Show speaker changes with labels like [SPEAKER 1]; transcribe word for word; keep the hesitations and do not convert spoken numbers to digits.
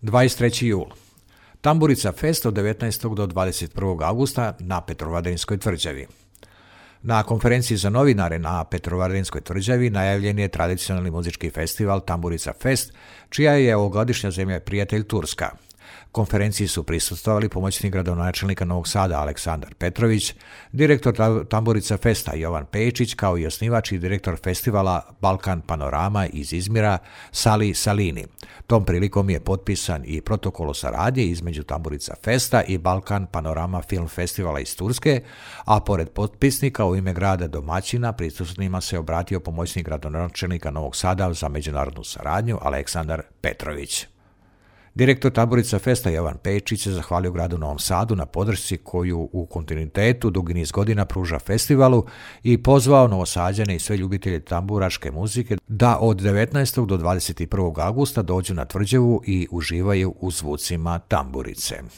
[SPEAKER 1] dvadeset treći jul. Tamburica Fest od devetnaestog do dvadeset prvog augusta na Petrovaradinskoj tvrđavi. Na konferenciji za novinare na Petrovaradinskoj tvrđavi najavljen je tradicionalni muzički festival Tamburica Fest, čija je ovogodišnja zemlja prijatelj Turska. Konferenciji su prisustvovali pomoćnik gradonačelnika Novog Sada Aleksandar Petrović, direktor Tamburica Festa Jovan Pejičić, kao i osnivač i direktor festivala Balkan Panorama iz Izmira Sali Salini. Tom prilikom je potpisan i protokol o saradnji između Tamburica Festa i Balkan Panorama film festivala iz Turske, a pored potpisnika u ime grada domaćina prisutnima se obratio pomoćnik gradonačelnika Novog Sada za međunarodnu saradnju Aleksandar Petrović. Direktor Tamburica Festa Jovan Pejičić se zahvalio gradu Novom Sadu na podršci koju u kontinuitetu dugi niz godina pruža festivalu i pozvao Novosađane i sve ljubitelje tamburaške muzike da od devetnaestog do dvadeset prvog augusta dođu na tvrđavu i uživaju u zvucima tamburice.